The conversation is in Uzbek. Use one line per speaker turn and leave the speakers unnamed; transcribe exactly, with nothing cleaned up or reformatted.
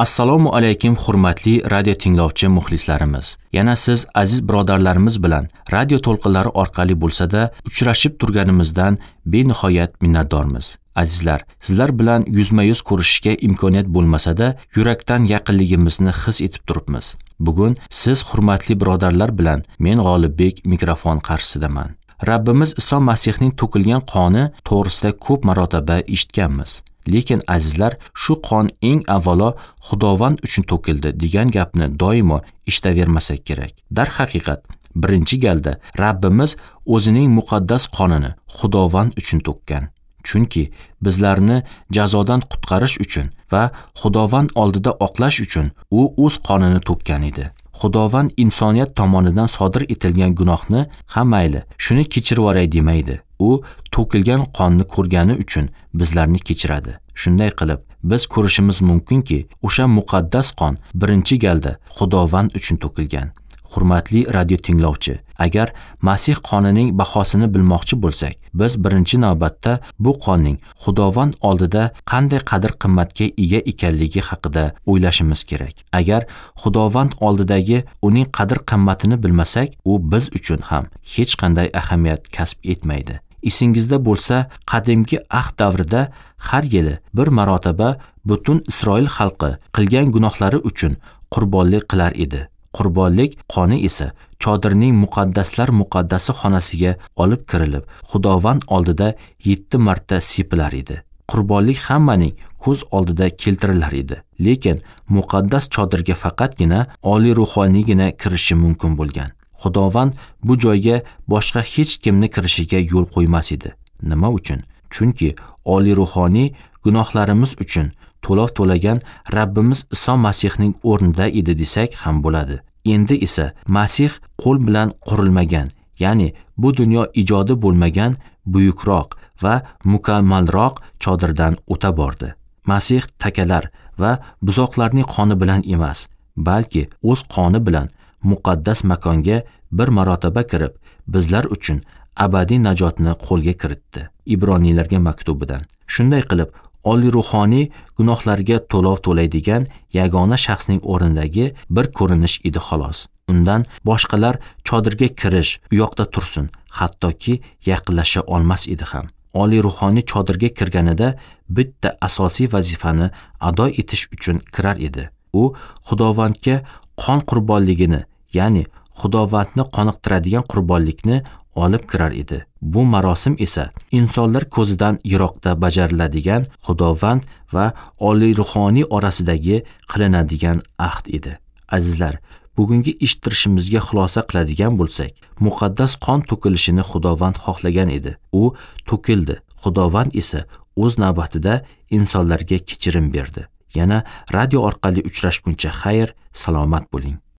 Assalomu alaykum hurmatli radio tinglovchi muxlislarimiz. Yana siz aziz birodarlarimiz bilan radio to'lqinlari orqali bo'lsa-da uchrashib turganimizdan benihoyat minnatdormiz. Azizlar, sizlar bilan yuzma-yuz ko'rishishga imkoniyat bo'lmasa-da, yurakdan yaqinligimizni his etib turibmiz. Bugun siz hurmatli birodarlar bilan men G'olibbek mikrofon qarshisidaman. Rabbimiz Iso Masihning to'kilgan qoni to'g'risida ko'p marotaba eshitganmiz. Lekin azizlar, shu qon eng avvalo Xudovand uchun to'kildi degan gapni doimo eshitavermasak kerak. Darhaqiqat, birinchi galda Rabbimiz o'zining muqaddas qonini Xudovand uchun to'kkan. Chunki bizlarni jazodan qutqarish uchun va Xudovand oldida oqlash uchun u o'z qonini to'kkan edi. Xudovand insoniyat tomonidan sodir etilgan gunohni ha mayli, shuni kechirib yuboray demaydi. U to'kilgan qonni ko'rgani uchun bizlarni kechiradi. Shunday qilib, biz ko'rishimiz mumkinki, o'sha muqaddas qon birinchi galda Xudovand uchun to'kilgan. Hurmatli radio tinglovchi, agar Masih qonining bahosini bilmoqchi bo'lsak, biz birinchi navbatda bu qonning Xudovand oldida qanday qadr-qimmatga ega ekanligi haqida o'ylashimiz kerak. Agar Xudovand oldidagi uning qadr-qimmatini bilmasak, u biz uchun ham hech qanday ahamiyat kasb etmaydi. Esingizda bo'lsa, qadimgi ahd davrida har yili bir marotaba butun Isroil xalqi qilgan gunohlari uchun qurbonlik qilar edi. Qurbonlik qoni esa chodirning muqaddaslar muqaddasi xonasiga olib kirilib, Xudovand oldida yetti marta sepilar edi. Qurbonlik hammaning ko'z oldida keltirilar edi. Lekin muqaddas chodirga faqatgina oliy ruhoniygina kirishi mumkin bo'lgan. Xudovand bu joyga boshqa hech kimni kirishiga yo'l qo'ymas edi. Nima uchun? Chunki oliy ruhoniy gunohlarimiz uchun to'lov to'lagan Rabbimiz Iso Masihning o'rnida edi desak ham bo'ladi. Endi esa Masih qo'l bilan qurilmagan, ya'ni bu dunyo ijodi bo'lmagan buyukroq va mukammalroq chodirdan o'ta bordi. Masih takalar va buzoqlarning qoni bilan emas, balki o'z qoni bilan muqaddas makonga bir marotaba kirib, bizlar uchun abadiy najotni qo'lga kiritdi. Ibroniylarga maktubidan. Shunday qilib, oliy ruhoniy gunohlarga to'lov to'laydigan yagona shaxsning o'rnidagi bir ko'rinish edi xolos. Undan boshqalar chodirga kirish u yoqda tursin, hattoki yaqinlasha olmas edi ham. Oliy ruhoniy chodirga kirganida bitta asosiy vazifani ado etish uchun kirar edi. U Xudovandga qon qurbonligini, ya'ni Xudovandni qoniqtiradigan qurbonlikni olib kirar edi. Bu marosim esa insonlar ko'zidan yiroqda bajariladigan Xudovand va oliy ruhoniy orasidagi qilinadigan ahd edi. Azizlar, bugungi eshittirishimizga xulosa qiladigan bo'lsak, muqaddas qon to'kilishini Xudovand xohlagan edi. U to'kildi. Xudovand esa o'z navbatida insonlarga kechirim berdi. Yana radio orqali uchrashguncha xayr, salomat bo'ling.